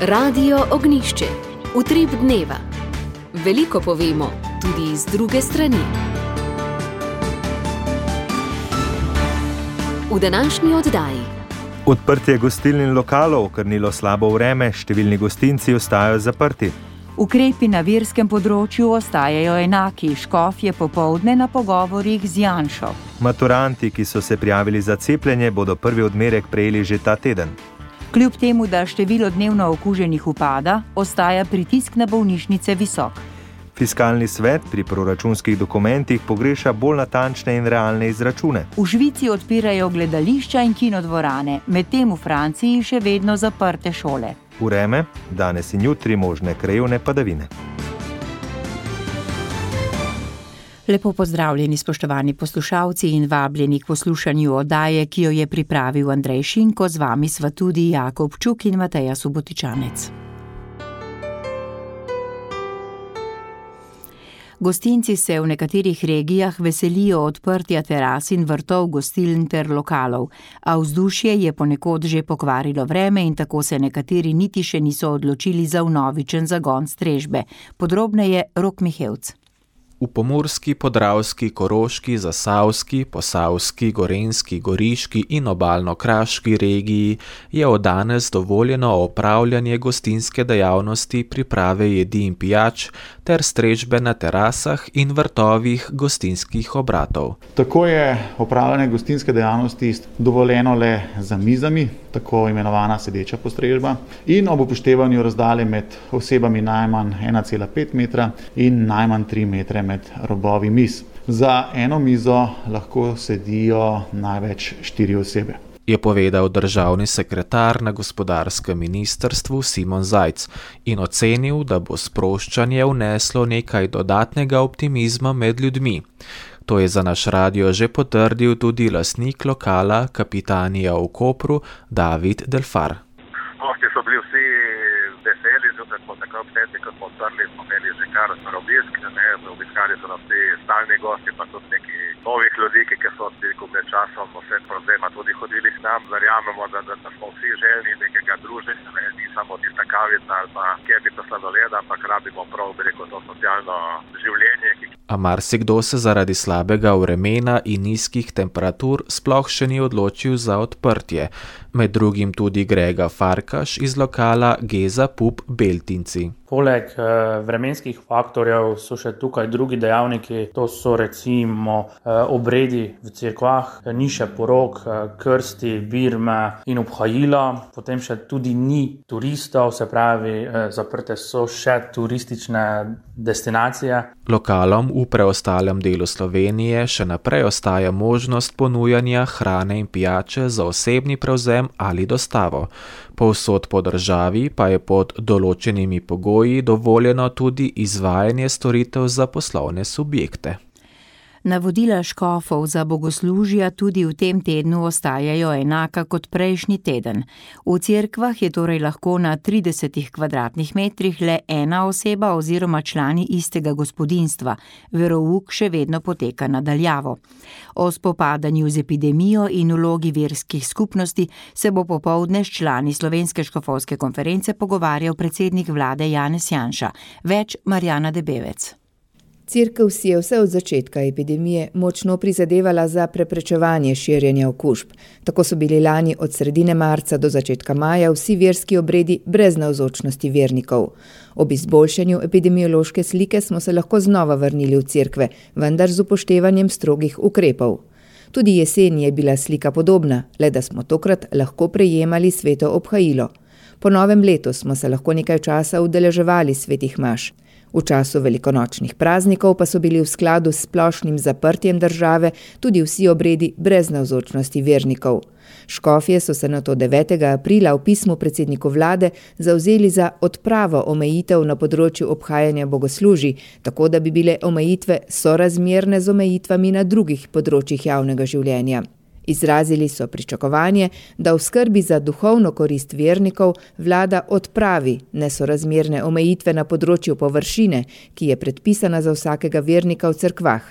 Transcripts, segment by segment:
Radio Ognjišče. Utrip dneva. Veliko povemo, tudi iz druge strani. V današnji oddaji. Odprtje gostiln in lokalov okrnilo slabo vreme, številni gostinci ostajajo zaprti. Ukrepi na verskem področju ostajajo enaki, škofje popoldne na pogovorih z Janšo. Maturanti, ki so se prijavili za cepljenje, bodo prvi odmerek prejeli že ta teden. Kljub temu, da število dnevno okuženih upada, ostaja pritisk na bolnišnice visok. Fiskalni svet pri proračunskih dokumentih pogreša bolj natančne in realne izračune. V Švici odpirajo gledališča in kinodvorane, medtem v Franciji še vedno zaprte šole. Vreme, danes in jutri možne krajevne padavine. Lepo pozdravljeni, spoštovani poslušalci, in vabljeni k poslušanju oddaje, ki jo je pripravil Andrej Šinko, z vami sva tudi Jakob Čuk in Mateja Subotičanec. Gostinci se v nekaterih regijah veselijo odprtja teras in vrtov gostiln ter lokalov, a vzdušje je ponekod že pokvarilo vreme in tako se nekateri niti še niso odločili za vnovičen zagon strežbe. Podrobneje Rok Mihevc. V Pomurski, Podravski, Koroški, Zasavski, Posavski, Gorenjski, Goriški in Obalno-kraški regiji je od danes dovoljeno opravljanje gostinske dejavnosti, priprave jedi in pijač ter strežbe na terasah in vrtovih gostinskih obratov. Tako je opravljanje gostinske dejavnosti dovoljeno le za mizami, tako imenovana sedeča postrežba, in ob upoštevanju razdalje med osebami najmanj 1,5 metra in najmanj 3 metre med robovi miz. Za eno mizo lahko sedijo največ 4 osebe. Je povedal državni sekretar na gospodarskem ministrstvu Simon Zajc in ocenil, da bo sproščanje vneslo nekaj dodatnega optimizma med ljudmi. To je za naš radio že potrdil tudi lastnik lokala Kapitanija v Kopru, David Delfar. Gosti so bili vsi veseli, zato smo tako obsedni, ko smo odprli, smo imeli že kar obisk, obiskali so nas vsi stalni gosti, pa tudi neki novih ljudi, ki so med časom vse problema tudi hodili k nam. Verjamemo, da smo vsi željni nekega druženja, ni samo tista kavica ali pa kepica sladoleda, ampak rabimo prav, to socialno življenje. A marsikdo se zaradi slabega vremena in nizkih temperatur sploh še ni odločil za odprtje. Med drugim tudi Grega Farkaš iz lokala Geza Pub Beltinci. Poleg vremenskih faktorjev so še tukaj drugi dejavniki, to so recimo obredi v cerkvah, niše porok, krsti, birme in obhajila. Potem še tudi ni turistov, se pravi, zaprte so še turistične destinacije. Lokalom v preostalem delu Slovenije še naprej ostaja možnost ponujanja hrane in pijače za osebni prevzem ali dostavo. Povsod po državi pa je pod določenimi pogoji dovoljeno tudi izvajanje storitev za poslovne subjekte. Navodila škofov za bogoslužja tudi v tem tednu ostajajo enaka kot prejšnji teden. V cerkvah je torej lahko na 30 kvadratnih metrih le ena oseba oziroma člani istega gospodinjstva. Verouk še vedno poteka na daljavo. O spopadanju z epidemijo in vlogi verskih skupnosti se bo popoldne s člani Slovenske škofovske konference pogovarjal predsednik vlade Janez Janša. Več Marjana Debevec. Cerkev si je vse od začetka epidemije močno prizadevala za preprečevanje širjenja okužb. Tako so bili lani od sredine marca do začetka maja vsi verski obredi brez navzočnosti vernikov. Ob izboljšanju epidemiološke slike smo se lahko znova vrnili v cerkve, vendar z upoštevanjem strogih ukrepov. Tudi jeseni je bila slika podobna, le da smo tokrat lahko prejemali sveto obhajilo. Po novem letu smo se lahko nekaj časa udeleževali svetih maš. V času velikonočnih praznikov pa so bili v skladu s splošnim zaprtjem države tudi vsi obredi brez navzočnosti vernikov. Škofje so se nato 9. aprila v pismu predsedniku vlade zavzeli za odpravo omejitev na področju obhajanja bogoslužij, tako da bi bile omejitve sorazmerne z omejitvami na drugih področjih javnega življenja. Izrazili so pričakovanje, da v skrbi za duhovno korist vernikov vlada odpravi nesorazmerne omejitve na področju površine, ki je predpisana za vsakega vernika v cerkvah,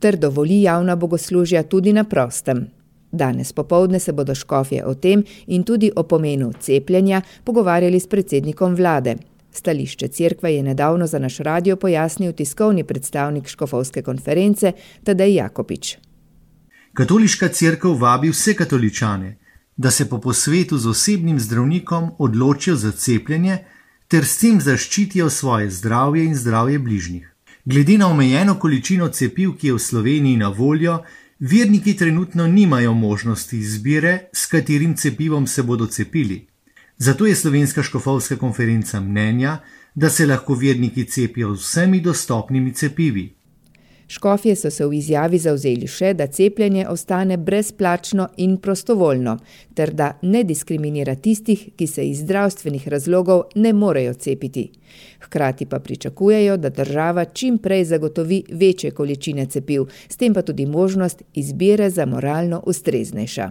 ter dovoli javna bogoslužja tudi na prostem. Danes popoldne se bodo škofje o tem in tudi o pomenu cepljenja pogovarjali s predsednikom vlade. Stališče cerkve je nedavno za naš radio pojasnil tiskovni predstavnik škofovske konference Tadej Jakopič. Katoliška cerkev vabi vse katoličane, da se po posvetu z osebnim zdravnikom odločijo za cepljenje ter s tem zaščitijo svoje zdravje in zdravje bližnjih. Glede na omejeno količino cepiv, ki je v Sloveniji na voljo, verniki trenutno nimajo možnosti izbire, s katerim cepivom se bodo cepili. Zato je Slovenska škofovska konferenca mnenja, da se lahko verniki cepijo z vsemi dostopnimi cepivi. Škofje so se v izjavi zavzeli še, da cepljenje ostane brezplačno in prostovoljno, ter da ne diskriminira tistih, ki se iz zdravstvenih razlogov ne morejo cepiti. Hkrati pa pričakujejo, da država čim prej zagotovi večje količine cepiv, s tem pa tudi možnost izbire za moralno ustreznejša.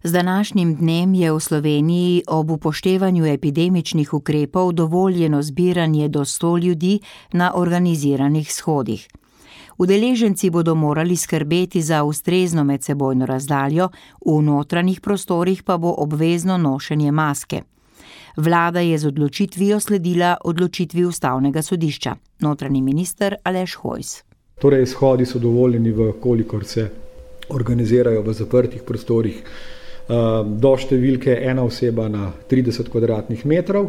Z današnjim dnem je v Sloveniji ob upoštevanju epidemičnih ukrepov dovoljeno zbiranje do 100 ljudi na organiziranih shodih. Udeleženci bodo morali skrbeti za ustrezno medsebojno razdaljo, v notranjih prostorih pa bo obvezno nošenje maske. Vlada je z odločitvijo sledila odločitvi Ustavnega sodišča. Notranji minister Aleš Hojs. Torej, shodi so dovoljeni, kolikor se organizirajo v zaprtih prostorih, do številke ena oseba na 30 kvadratnih metrov.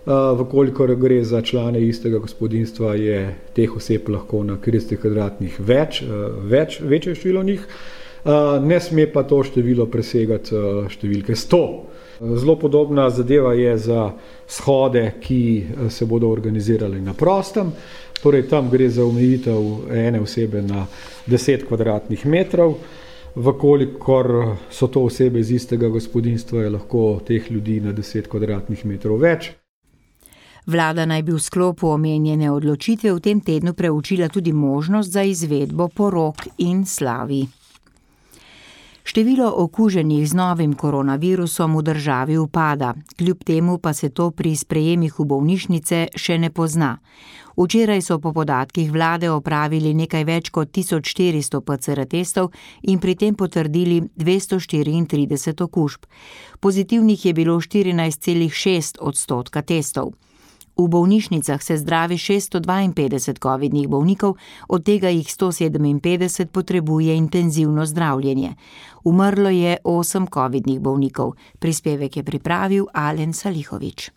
Vkolikor gre za člane istega gospodinjstva, je teh oseb lahko na 30 kvadratnih večje število njih. Ne sme pa to število presegati številke 100. Zelo podobna zadeva je za shode, ki se bodo organizirali na prostem. Torej, tam gre za omejitev ene osebe na 10 kvadratnih metrov. Vkolikor so to osebe iz istega gospodinjstva, je lahko teh ljudi na 10 kvadratnih metrov več. Vlada naj bi v sklopu omenjene odločitve v tem tednu preučila tudi možnost za izvedbo porok in slavi. Število okuženih z novim koronavirusom v državi upada, kljub temu pa se to pri sprejemih v bolnišnice še ne pozna. Včeraj so po podatkih vlade opravili nekaj več kot 1400 PCR testov in pri tem potrdili 234 okužb. Pozitivnih je bilo 14,6% testov. V bolnišnicah se zdravi 652 covidnih bolnikov, od tega jih 157 potrebuje intenzivno zdravljenje. Umrlo je 8 covidnih bolnikov. Prispevek je pripravil Alen Salihovič.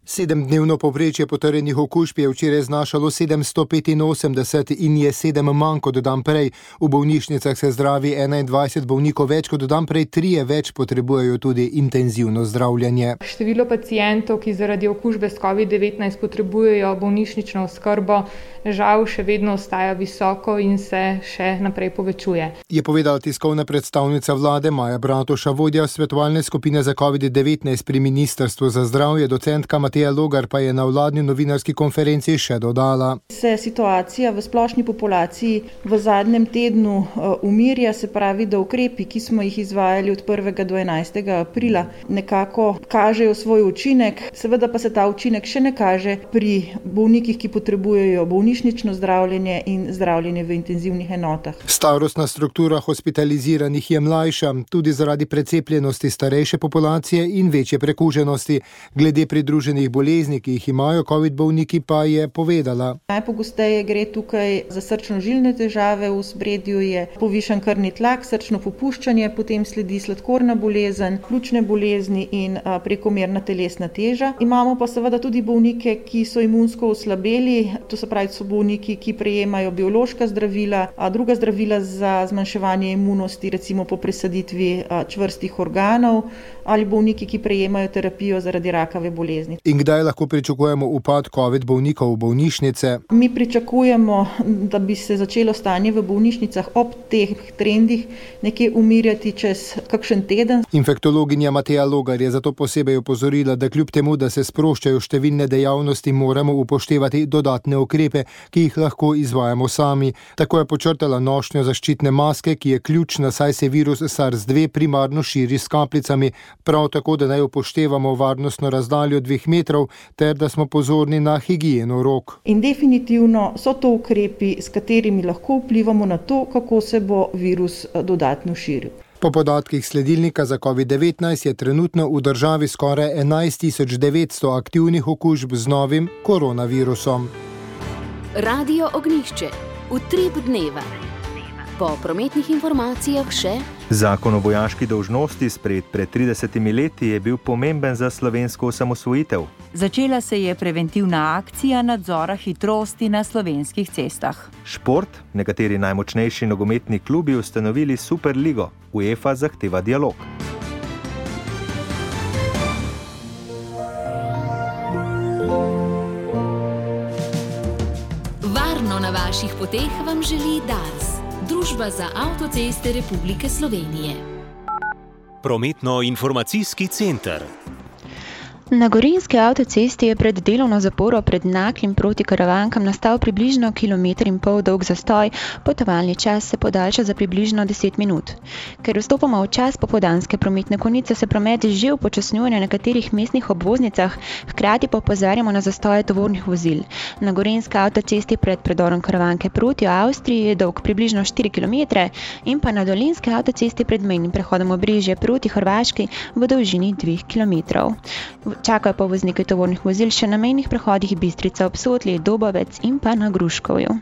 7-dnevno povprečje potrjenih okužb je včeraj znašalo 785 in je 7 manj kot dan prej. V bolnišnicah se zdravi 21 bolnikov več kot dan prej, 3 več potrebujejo tudi intenzivno zdravljenje. Število pacientov, ki zaradi okužbe s COVID-19 potrebujejo bolnišnično oskrbo, žal še vedno ostaja visoko in se še naprej povečuje. Je povedala tiskovna predstavnica vlade Maja Bratuša, vodja svetovalne skupine za COVID-19 pri Ministrstvu za zdravje, docentka Mateja Logar pa je na vladni novinarski konferenci še dodala. Se situacija v splošni populaciji v zadnjem tednu umirja, se pravi, da ukrepi, ki smo jih izvajali od 1. do 11. aprila, nekako kažejo svoj učinek, seveda pa se ta učinek še ne kaže pri bolnikih, ki potrebujejo bolnišnično zdravljenje in zdravljenje v intenzivnih enotah. Starostna struktura hospitaliziranih je mlajša, tudi zaradi precepljenosti starejše populacije in večje prekuženosti. Glede pridruženih bolezni, ki jih imajo COVID bolniki, pa je povedala. Najpogosteje gre tukaj za srčno-žilne težave, v ospredju je povišan krvni tlak, srčno popuščanje, potem sledi sladkorna bolezen, pljučne bolezni in prekomerna telesna teža. Imamo pa seveda tudi bolnike, ki so imunsko oslabeli, to se pravi, so bolniki, ki prejemajo biološka zdravila, druga zdravila za zmanjševanje imunosti, recimo po presaditvi čvrstih organov, ali bolniki, ki prejemajo terapijo zaradi rakave bolezni. In kdaj lahko pričakujemo upad COVID bolnikov v bolnišnice? Mi pričakujemo, da bi se začelo stanje v bolnišnicah ob teh trendih nekje umirjati čez kakšen teden. Infektologinja Mateja Logar je zato posebej opozorila, da kljub temu, da se sproščajo številne dejavnosti, moramo upoštevati dodatne ukrepe, ki jih lahko izvajamo sami. Tako je počrtala nošnjo zaščitne maske, ki je ključna, saj se virus SARS-2 primarno širi s kapljicami. Prav tako, da naj upoštevamo varnostno razdaljo 2 metrov, ter da smo pozorni na higieno rok. In definitivno so to ukrepi, s katerimi lahko vplivamo na to, kako se bo virus dodatno širil. Po podatkih sledilnika za COVID-19 je trenutno v državi skoraj 11.900 aktivnih okužb z novim koronavirusom. Radio Ognjišče. Utrip dneva. Po prometnih informacijah še: Zakon o vojaški dolžnosti sprejet pred 30 leti je bil pomemben za slovensko osamosvojitev. Začela se je preventivna akcija nadzora hitrosti na slovenskih cestah. Šport, nekateri najmočnejši nogometni klubi ustanovili Superligo. UEFA zahteva dialog. Varno na vaših poteh vam želi Dars, Družba za avtoceste Republike Slovenije. Prometno-informacijski center. Na Gorenjski avtocesti je pred delovno zaporo pred Naklem proti Karavankam nastal približno 1,5 km dolg zastoj, potovalni čas se podaljša za približno 10 minut. Ker vstopamo v čas popoldanske prometne konice, se promet že upočasnjuje na nekaterih mestnih obvoznicah, hkrati pa opozarjamo na zastoje tovornih vozil. Na Gorenjski avtocesti pred predorom Karavanke proti Avstriji je dolg približno 4 km in pa na Dolenjski avtocesti pred mejnim prehodom Obrežje proti Hrvaški v dolžini 2 km. Čakajo pa vozniki tovornih vozil še na mejnih prehodih Bistrica ob Sotli, Dobovec in pa na Gruškovju.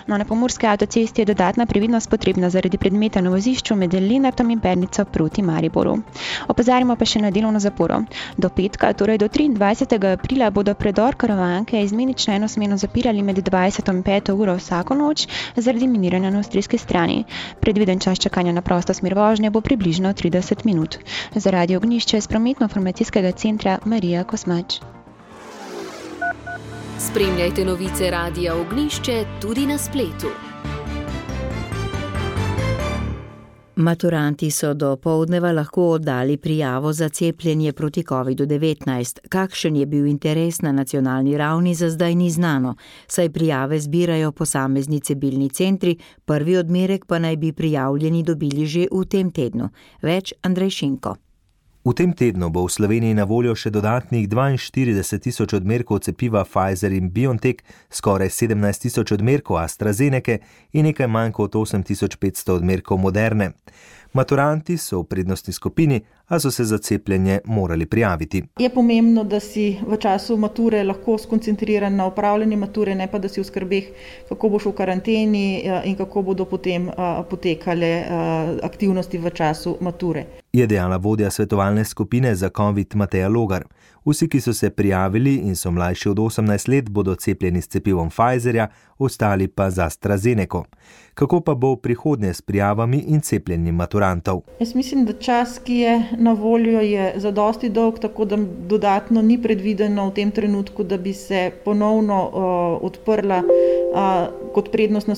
No, na Pomurski avtocesti je dodatna previdnost potrebna zaradi predmeta na vozišču med Lenartom in Pernico proti Mariboru. Opozarjamo pa še na delovno zaporo. Do petka, torej do 23. aprila, bodo predor Karavanke izmenično enosmerno zapirali med 20 in 5 uro vsako noč zaradi miniranja na avstrijski strani. Predviden čas čakanja na prosto smer vožnje bo približno 30 minut. Za Radio Ognjišče iz prometno-informacijskega centra Marija Kosmač. Spremljajte novice Radia Ognjišče tudi na spletu. Maturanti so do poldneva lahko oddali prijavo za cepljenje proti COVID-19. Kakšen je bil interes na nacionalni ravni, za zdaj ni znano, saj prijave zbirajo posamezni cebilni centri, prvi odmerek pa naj bi prijavljeni dobili že v tem tednu. Več Andrej Šinko. V tem tednu bo v Sloveniji na voljo še dodatnih 42.000 odmerkov cepiva Pfizer in BioNTech, skoraj 17.000 odmerkov AstraZenece in nekaj manj kot 8.500 odmerkov Moderne. Maturanti so v prednostni skupini, a so se za cepljenje morali prijaviti. Je pomembno, da si v času mature lahko skoncentriran na opravljanje mature, ne pa da si v skrbeh, kako boš v karanteni in kako bodo potem potekale aktivnosti v času mature. Je dejala vodja svetovalne skupine za COVID Mateja Logar. Vsi, ki so se prijavili in so mlajši od 18 let, bodo cepljeni s cepivom Pfizerja, ostali pa z AstraZeneco. Kako pa bo v prihodnje s prijavami in cepljenjem maturantov? Jaz mislim, da čas, ki je na voljo, je zadosti dolg, tako da dodatno ni predvideno v tem trenutku, da bi se ponovno odprla kot prednostna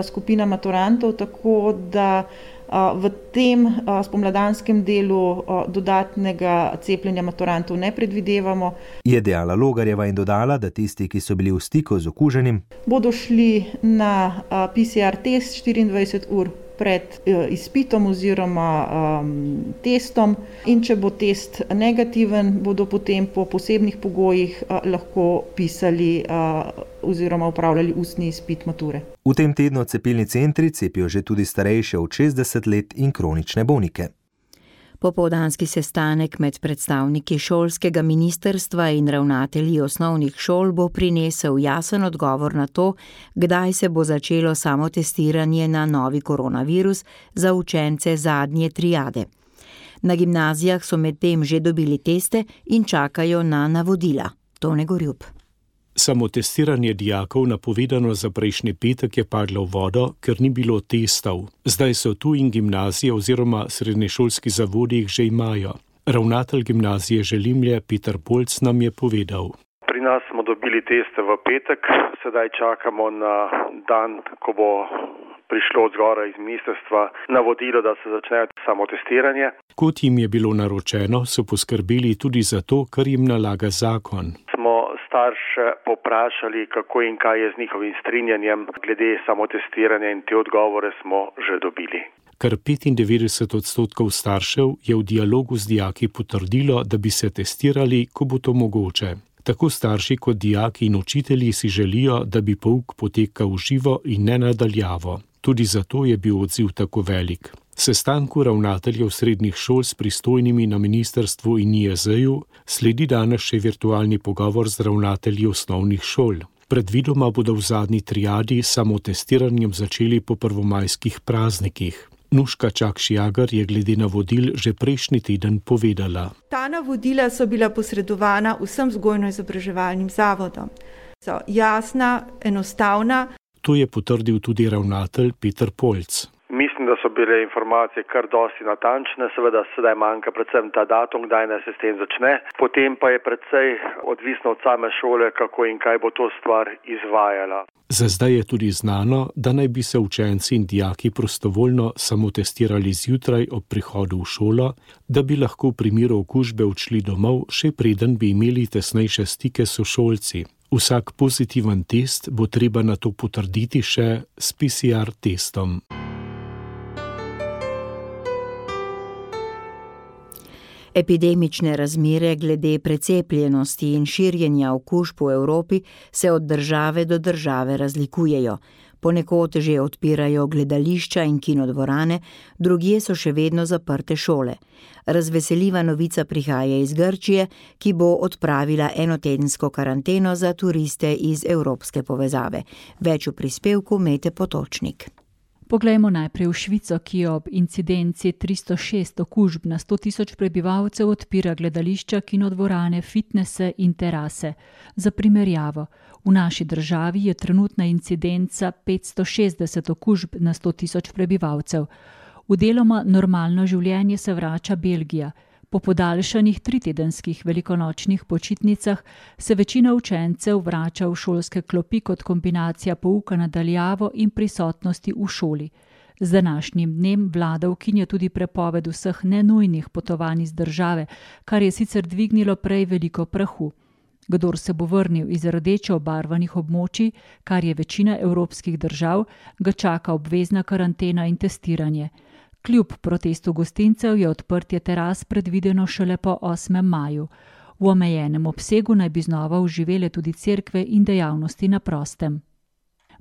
skupina maturantov, tako da v tem spomladanskem delu dodatnega cepljenja maturantov ne predvidevamo. Je dejala Logarjeva in dodala, da tisti, ki so bili v stiku z okuženim, bodo šli na PCR test 24 ur pred izpitom oziroma testom in če bo test negativen, bodo potem po posebnih pogojih lahko pisali oziroma upravljali ustni izpit mature. V tem tednu cepilni centri cepijo že tudi starejše od 60 let in kronične bolnike. Popoldanski sestanek med predstavniki šolskega ministrstva in ravnatelji osnovnih šol bo prinesel jasen odgovor na to, kdaj se bo začelo samotestiranje na novi koronavirus za učence zadnje triade. Na gimnazijah so medtem že dobili teste in čakajo na navodila. Tone Gorjup. Samotestiranje dijakov napovedano za prejšnji petek je padlo v vodo, ker ni bilo testov. Zdaj so tu in gimnazije oziroma srednješolski zavodi jih že imajo. Ravnatelj gimnazije Želimlje Peter Polc nam je povedal. Pri nas smo dobili teste v petek, sedaj čakamo na dan, ko bo prišlo od zgora iz ministrstva navodilo, da se začne samotestiranje. Kot jim je bilo naročeno, so poskrbeli tudi za to, kar jim nalaga zakon. Smo starše poprašali, kako in kaj je z njihovim strinjanjem glede samotestiranja in te odgovore smo že dobili. Kar 95% staršev je v dialogu z dijaki potrdilo, da bi se testirali, ko bo to mogoče. Tako starši kot dijaki in učitelji si želijo, da bi pouk potekal v živo in ne nadaljavo. Tudi zato je bil odziv tako velik. Sestanku ravnateljev srednjih šol s pristojnimi na ministrstvu in NIJZ-ju sledi danes še virtualni pogovor z ravnatelji osnovnih šol. Predvidoma bodo v zadnji triadi s samotestiranjem začeli po prvomajskih praznikih. Nuška Čakš-Jagar je glede navodil že prejšnji teden povedala. Ta navodila so bila posredovana vsem vzgojno-izobraževalnim zavodom. So jasna, enostavna. To je potrdil tudi ravnatelj Peter Polc. Mislim, da so bile informacije kar dosti natančne, seveda sedaj manjka predvsem ta datum, kdaj naj se s tem začne. Potem pa je precej odvisno od same šole, kako in kaj bo to stvar izvajala. Za zdaj je tudi znano, da naj bi se učenci in dijaki prostovoljno samotestirali zjutraj ob prihodu v šolo, da bi lahko v primeru okužbe odšli domov, še preden bi imeli tesnejše stike s sošolci. Vsak pozitiven test bo treba nato potrditi še s PCR testom. Epidemične razmere glede precepljenosti in širjenja okužb v Evropi se od države do države razlikujejo. Ponekod že odpirajo gledališča in kinodvorane, drugje so še vedno zaprte šole. Razveseljiva novica prihaja iz Grčije, ki bo odpravila enotedensko karanteno za turiste iz evropske povezave. Več v prispevku Mete Potočnik. Poglejmo najprej v Švico, ki ob incidenci 306 okužb na 100 tisoč prebivalcev odpira gledališča, kinodvorane, fitnese in terase. Za primerjavo, v naši državi je trenutna incidenca 560 okužb na 100 tisoč prebivalcev. V deloma normalno življenje se vrača Belgija. Po podaljšanih 3-tedenskih velikonočnih počitnicah se večina učencev vrača v šolske klopi kot kombinacija pouka na daljavo in prisotnosti v šoli. Z današnjim dnem vlada ukinja tudi prepoved vseh nenujnih potovanj iz države, kar je sicer dvignilo prej veliko prahu. Kdor se bo vrnil iz rdeče obarvanih območij, kar je večina evropskih držav, ga čaka obvezna karantena in testiranje. Kljub protestu gostincev je odprtje teras predvideno šele po 8. maju. V omejenem obsegu naj bi znova oživele tudi cerkve in dejavnosti na prostem.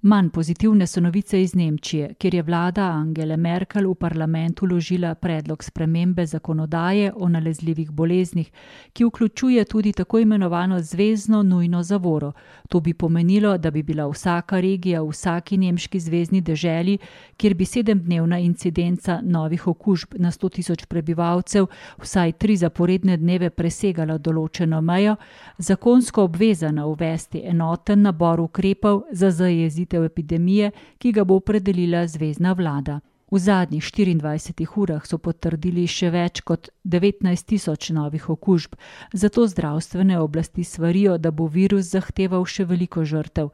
Manj pozitivne so novice iz Nemčije, kjer je vlada Angele Merkel v parlamentu vložila predlog spremembe zakonodaje o nalezljivih boleznih, ki vključuje tudi tako imenovano zvezno nujno zavoro. To bi pomenilo, da bi bila vsaka regija v vsaki nemški zvezni deželi, kjer bi 7-dnevna incidenca novih okužb na 100 tisoč prebivalcev vsaj 3 zaporedne dneve presegala določeno mejo, zakonsko obvezana uvesti enoten nabor ukrepov za zajezitev epidemije, ki ga bo opredelila zvezna vlada. V zadnjih 24 urah so potrdili še več kot 19 tisoč novih okužb, zato zdravstvene oblasti svarijo, da bo virus zahteval še veliko žrtev.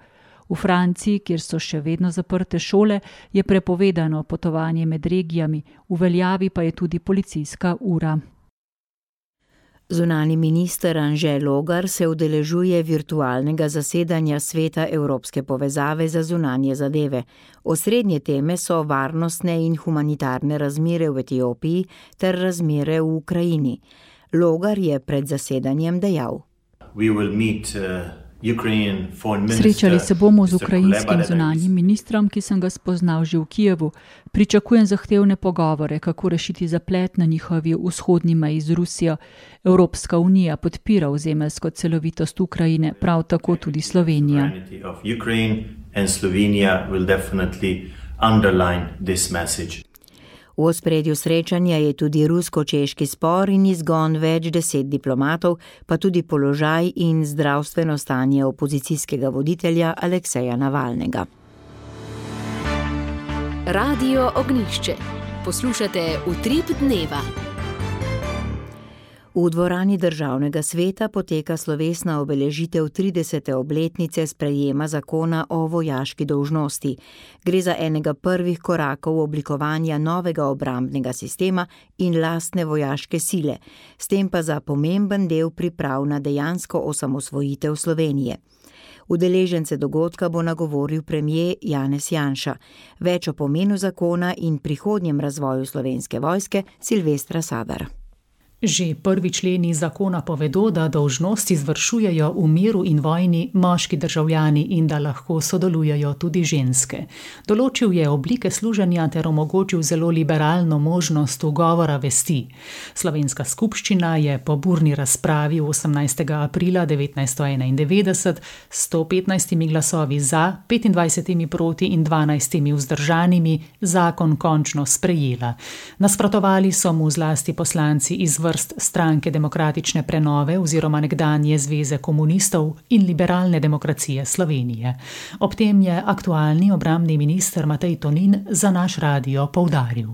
V Franciji, kjer so še vedno zaprte šole, je prepovedano potovanje med regijami, v veljavi pa je tudi policijska ura. Zunanji minister Anže Logar se udeležuje virtualnega zasedanja Sveta Evropske povezave za zunanje zadeve. Osrednje teme so varnostne in humanitarne razmere v Etiopiji ter razmere v Ukrajini. Logar je pred zasedanjem dejal: Srečali se bomo z ukrajinskim zunanjim ministrom, ki sem ga spoznal že v Kijevu. Pričakujem zahtevne pogovore, kako rešiti zaplet na njihovi vzhodni meji z Rusijo. Evropska unija podpira ozemeljsko celovitost Ukrajine, prav tako tudi Slovenija. V ospredju srečanja je tudi rusko-češki spor in izgon več 10 diplomatov, pa tudi položaj in zdravstveno stanje opozicijskega voditelja Alekseja Navalnega. Radio Ognjišče. Poslušate Utrip dneva. V dvorani Državnega sveta poteka slovesna obeležitev 30. obletnice sprejema zakona o vojaški dolžnosti. Gre za enega prvih korakov oblikovanja novega obrambnega sistema in lastne vojaške sile, s tem pa za pomemben del priprav na dejansko osamosvojitev Slovenije. Udeležence dogodka bo nagovoril premier Janez Janša. Več o pomenu zakona in prihodnjem razvoju Slovenske vojske Silvestra Sadar. Že prvi členi zakona povedo, da dolžnost izvršujejo v miru in vojni moški državljani in da lahko sodelujejo tudi ženske. Določil je oblike služenja ter omogočil zelo liberalno možnost ugovora vesti. Slovenska skupščina je po burni razpravi 18. aprila 1991 s 115 glasovi za, 25 proti in 12 vzdržanimi zakon končno sprejela. Nasprotovali so mu zlasti poslanci iz vrst Stranke demokratične prenove oziroma nekdanje Zveze komunistov in Liberalne demokracije Slovenije. Ob tem je aktualni obrambni minister Matej Tonin za naš radio poudaril.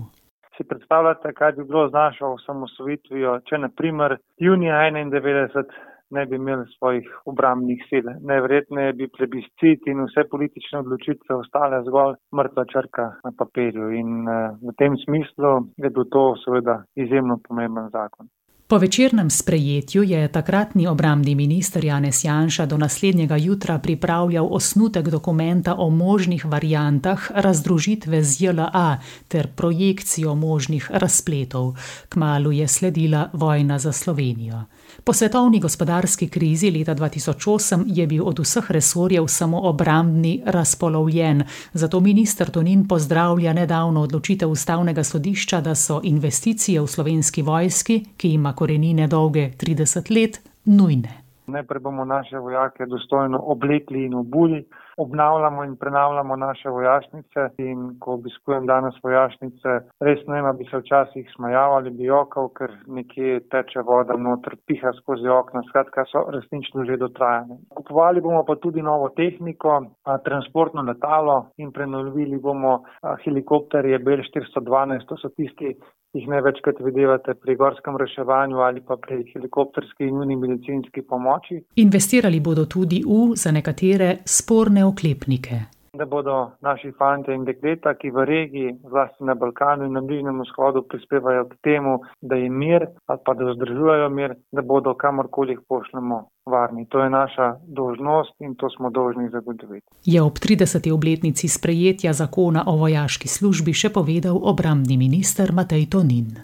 Si predstavljate, kaj bi bilo z našo osamosvojitvijo, če na primer junija 1991 ne bi imeli svojih obrambnih sil. Najverjetneje bi plebiscit in vse politične odločitve ostale zgolj mrtva črka na papirju in v tem smislu je bil to seveda izjemno pomemben zakon. Po večernem sprejetju je takratni obrambni minister Janez Janša do naslednjega jutra pripravljal osnutek dokumenta o možnih variantah razdružitve z JLA ter projekcijo možnih razpletov. Kmalu je sledila vojna za Slovenijo. Po svetovni gospodarski krizi leta 2008 je bil od vseh resorjev samo obrambni razpolovljen, zato minister Tonin pozdravlja nedavno odločitev Ustavnega sodišča, da so investicije v Slovenski vojski, ki ima korenine dolge 30 let, nujne. Najprej bomo naše vojake dostojno oblekli in obuli, obnavljamo in prenavljamo naše vojašnice in ko obiskujem danes vojašnice, res ne vem, bi se včasih smejal ali bi jokal, ker nekje teče voda noter, piha skozi okna, skratka so resnično že dotrajane. Kupovali bomo pa tudi novo tehniko, transportno letalo in prenovili bomo helikopterje Bell 412, to so tisti, jih največkrat videvate pri gorskem reševanju ali pa pri helikopterski in nujni medicinski pomoči. Investirali bodo tudi za nekatere sporne oklepnike. Da bodo naši fantje in dekleta, ki v regiji, zlasti na Balkanu in na Bližnjem vzhodu prispevajo k temu, da je mir ali pa da vzdržujejo mir, da bodo kamorkoli jih pošljemo varni. To je naša dolžnost in to smo dolžni zagotoviti. Je ob 30. obletnici sprejetja zakona o vojaški službi še povedal obrambni minister Matej Tonin.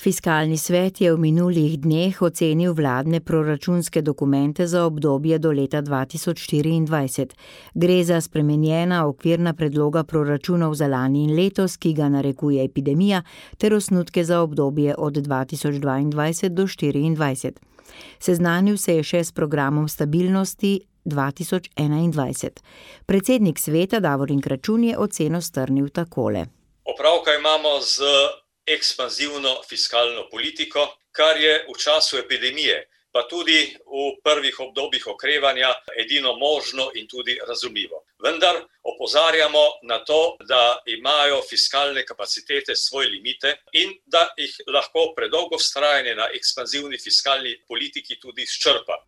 Fiskalni svet je v minulih dneh ocenil vladne proračunske dokumente za obdobje do leta 2024. Gre za spremenjena okvirna predloga proračunov za lani in letos, ki ga narekuje epidemija, ter osnutke za obdobje od 2022 do 2024. Seznanil se je še s programom stabilnosti 2021. Predsednik sveta Davorin Kračun je oceno strnil takole. Opravka imamo z ekspanzivno fiskalno politiko, kar je v času epidemije, pa tudi v prvih obdobjih okrevanja edino možno in tudi razumljivo. Vendar opozarjamo na to, da imajo fiskalne kapacitete svoje limite in da jih lahko predolgo vztrajanje na ekspanzivni fiskalni politiki tudi izčrpa.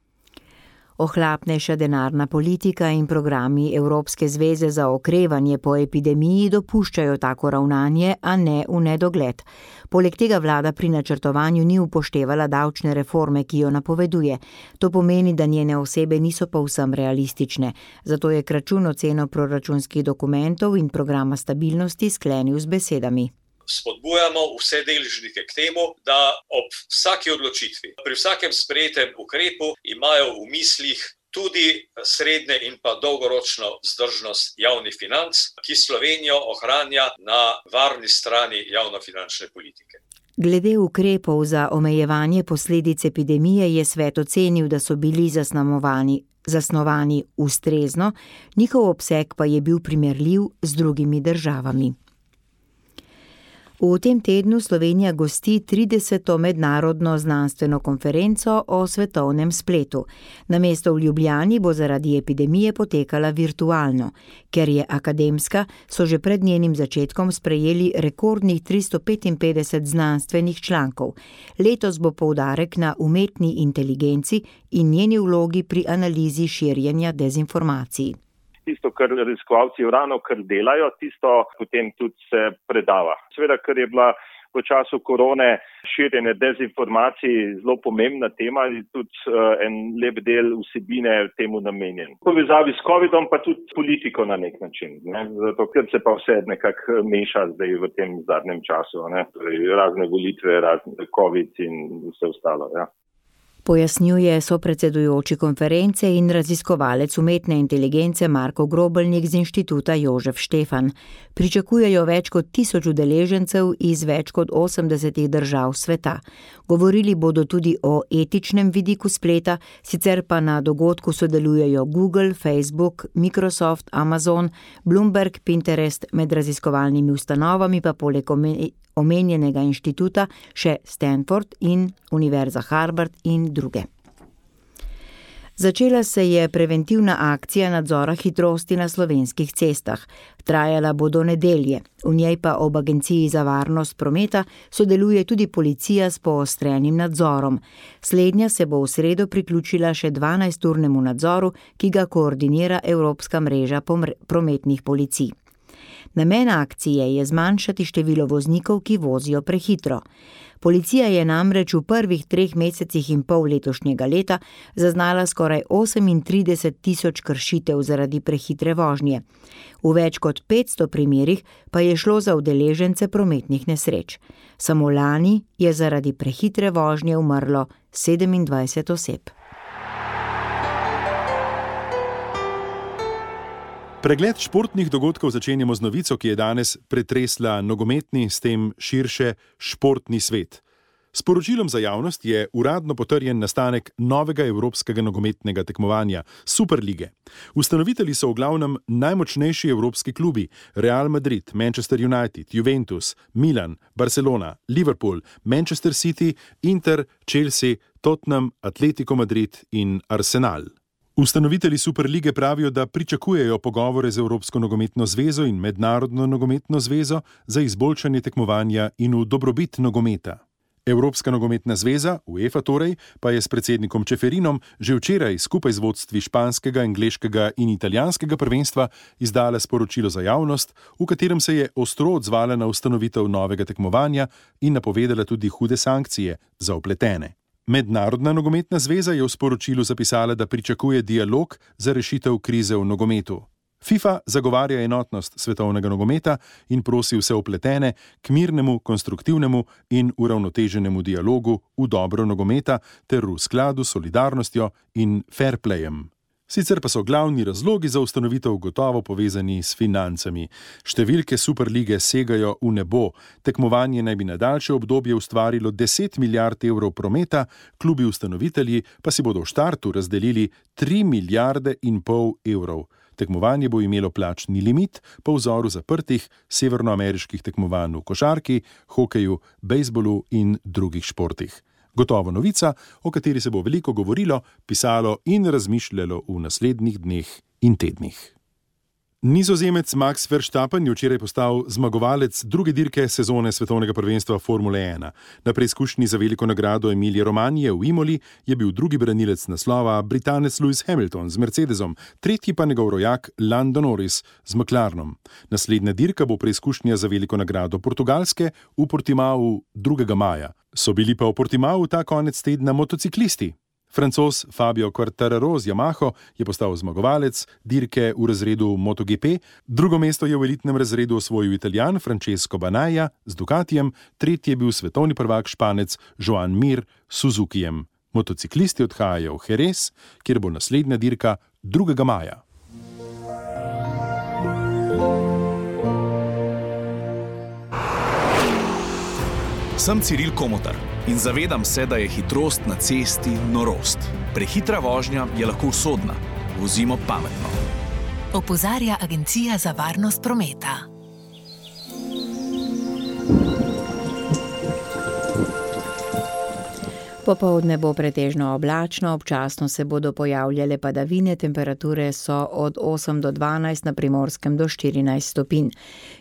Ohlapnejša denarna politika in programi Evropske zveze za okrevanje po epidemiji dopuščajo tako ravnanje, a ne v nedogled. Poleg tega vlada pri načrtovanju ni upoštevala davčne reforme, ki jo napoveduje. To pomeni, da njene osebe niso povsem realistične. Zato je Kračun oceno proračunskih dokumentov in programa stabilnosti sklenil z besedami. Spodbujamo vse deležnike k temu, da ob vsaki odločitvi, pri vsakem sprejetem ukrepu imajo v mislih tudi srednje in pa dolgoročno vzdržnost javnih financ, ki Slovenijo ohranja na varni strani javnofinančne politike. Glede ukrepov za omejevanje posledic epidemije je svet ocenil, da so bili zasnovani ustrezno, njihov obseg pa je bil primerljiv z drugimi državami. V tem tednu Slovenija gosti 30. mednarodno znanstveno konferenco o svetovnem spletu. Namesto v Ljubljani bo zaradi epidemije potekala virtualno. Ker je akademska, so že pred njenim začetkom sprejeli rekordnih 355 znanstvenih člankov. Letos bo poudarek na umetni inteligenci in njeni vlogi pri analizi širjenja dezinformacij. Tisto, kar raziskovalci ravno kar delajo, tisto potem tudi se predava. Seveda, ker je bila v času korone širjenje dezinformacij zelo pomembna tema in tudi en lep del vsebine temu namenjen. V povezavi s COVID-om pa tudi politiko na nek način, ne? Zato, ker se pa vse nekako meša zdaj v tem zadnjem času, ne? Torej, razne volitve, razne COVID in vse ostalo, ja. Pojasnjuje sopredsedujoči konference in raziskovalec umetne inteligence Marko Grobelnik z Inštituta Jožef Štefan. Pričakujejo več kot 1000 udeležencev iz več kot 80 držav sveta. Govorili bodo tudi o etičnem vidiku spleta, sicer pa na dogodku sodelujejo Google, Facebook, Microsoft, Amazon, Bloomberg, Pinterest, med raziskovalnimi ustanovami pa poleg omenjenega inštituta še Stanford in Univerza Harvard in druge. Začela se je preventivna akcija nadzora hitrosti na slovenskih cestah. Trajala bo do nedelje. V njej pa ob Agenciji za varnost prometa sodeluje tudi policija s poostrenim nadzorom. Slednja se bo v sredo priključila še 12-urnemu nadzoru, ki ga koordinira Evropska mreža prometnih policij. Namen akcije je zmanjšati število voznikov, ki vozijo prehitro. Policija je namreč v prvih 3 mesecih in pol letošnjega leta zaznala skoraj 38.000 kršitev zaradi prehitre vožnje. V več kot 500 primerih pa je šlo za udeležence prometnih nesreč. Samo lani je zaradi prehitre vožnje umrlo 27 oseb. Pregled športnih dogodkov začenjamo z novico, ki je danes pretresla nogometni, s tem širše športni svet. S poročilom za javnost je uradno potrjen nastanek novega evropskega nogometnega tekmovanja, Superlige. Ustanovitelji so v glavnem najmočnejši evropski klubi: Real Madrid, Manchester United, Juventus, Milan, Barcelona, Liverpool, Manchester City, Inter, Chelsea, Tottenham, Atletico Madrid in Arsenal. Ustanovitelji Superlige pravijo, da pričakujejo pogovore z Evropsko nogometno zvezo in Mednarodno nogometno zvezo za izboljšanje tekmovanja in v dobrobit nogometa. Evropska nogometna zveza, UEFA torej, pa je s predsednikom Čeferinom že včeraj skupaj z vodstvi španskega, angleškega in italijanskega prvenstva izdala sporočilo za javnost, v katerem se je ostro odzvala na ustanovitev novega tekmovanja in napovedala tudi hude sankcije za vpletene. Mednarodna nogometna zveza je v sporočilu zapisala, da pričakuje dialog za rešitev krize v nogometu. FIFA zagovarja enotnost svetovnega nogometa in prosi vse vpletene k mirnemu, konstruktivnemu in uravnoteženemu dialogu v dobro nogometa ter v skladu s solidarnostjo in fair playem. Sicer pa so glavni razlogi za ustanovitev gotovo povezani s financami. Številke Superlige segajo v nebo. Tekmovanje naj bi na daljše obdobje ustvarilo 10 milijard evrov prometa, klubi ustanovitelji pa si bodo v štartu razdelili 3,5 milijarde evrov. Tekmovanje bo imelo plačni limit po vzoru zaprtih severnoameriških tekmovanj v košarki, hokeju, bejzbolu in drugih športih. Gotovo novica, o kateri se bo veliko govorilo, pisalo in razmišljalo v naslednjih dneh in tednih. Nizozemec Max Verstappen je včeraj postal zmagovalec druge dirke sezone svetovnega prvenstva Formule 1. Na preizkušnji za veliko nagrado Emilije Romanije v Imoli je bil drugi branilec naslova Britanec Lewis Hamilton z Mercedesom, tretji pa njegov rojak Lando Norris z McLarenom. Naslednja dirka bo preizkušnja za veliko nagrado Portugalske v Portimao 2. maja. So bili pa v Portimao ta konec tedna motociklisti. Francoz Fabio Quartararo z Yamaho je postal zmagovalec dirke v razredu MotoGP, drugo mesto je v elitnem razredu osvojil Italijan Francesco Banaya z Ducatijem, tretji je bil svetovni prvak Španec Joan Mir s Suzukijem. Motociklisti odhajajo v Jerez, kjer bo naslednja dirka 2. maja. Sem Ciril Komotar in zavedam se, da je hitrost na cesti norost. Prehitra vožnja je lahko usodna. Vozimo pametno. Opozarja Agencija za varnost prometa. Popoldne bo pretežno oblačno, občasno se bodo pojavljale padavine, temperature so od 8 do 12, na Primorskem do 14 stopinj.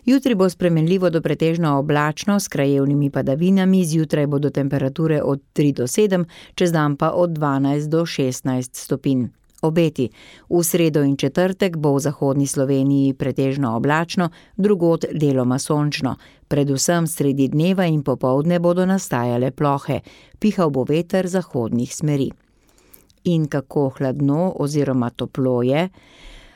Jutri bo spremenljivo do pretežno oblačno s krajevnimi padavinami, zjutraj bodo temperature od 3 do 7, čez dan pa od 12 do 16 stopinj. Obeti. V sredo in četrtek bo v zahodni Sloveniji pretežno oblačno, drugod deloma sončno. Predvsem sredi dneva in popoldne bodo nastajale plohe. Pihal bo veter zahodnih smeri. In kako hladno oziroma toplo je?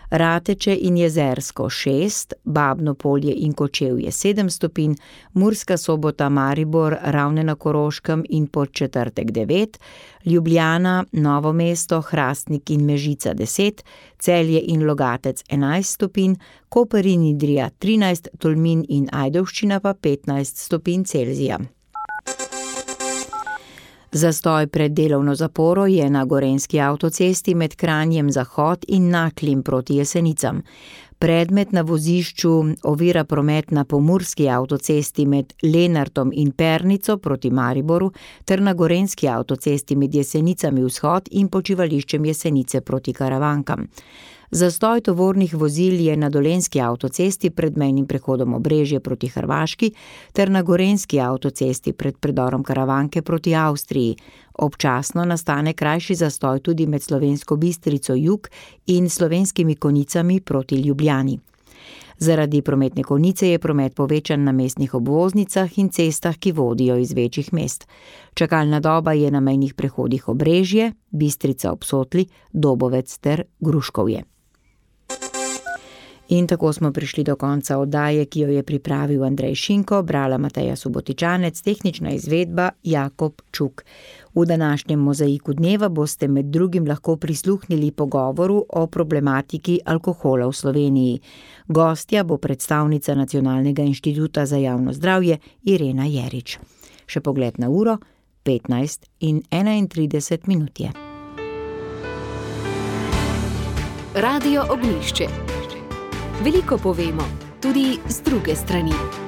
Rateče in Jezersko 6, Babno Polje in Kočevje 7 stopinj, Murska Sobota, Maribor, Ravne na Koroškem in Podčetrtek 9, Ljubljana, Novo mesto, Hrastnik in Mežica 10, Celje in Logatec 11 stopinj, Koper in Idrija 13, Tolmin in Ajdovščina pa 15 stopinj Celzija. Zastoj pred delovno zaporo je na gorenjski avtocesti med Kranjem Zahod in Naklim proti Jesenicam. Predmet na vozišču ovira promet na pomurski avtocesti med Lenartom in Pernico proti Mariboru ter na gorenjski avtocesti med Jesenicami vzhod in počivališčem Jesenice proti Karavankam. Zastoj tovornih vozil je na dolenjski avtocesti pred mejnim prehodom Obrežje proti Hrvaški ter na gorenjski avtocesti pred predorom Karavanke proti Avstriji. Občasno nastane krajši zastoj tudi med Slovensko Bistrico jug in Slovenskimi Konjicami proti Ljubljani. Zaradi prometne konice je promet povečan na mestnih obvoznicah in cestah, ki vodijo iz večjih mest. Čakalna doba je na mejnih prehodih Obrežje, Bistrica ob Sotli, Dobovec ter Gruškovje. In tako smo prišli do konca oddaje, ki jo je pripravil Andrej Šinko, brala Mateja Subotičanec, tehnična izvedba Jakob Čuk. V današnjem mozaiku dneva boste med drugim lahko prisluhnili pogovoru o problematiki alkohola v Sloveniji. Gostja bo predstavnica Nacionalnega inštituta za javno zdravje Irena Jerič. Še pogled na uro, 15:31 minut je. Radio Ognjišče. Veliko povemo, tudi z druge strani.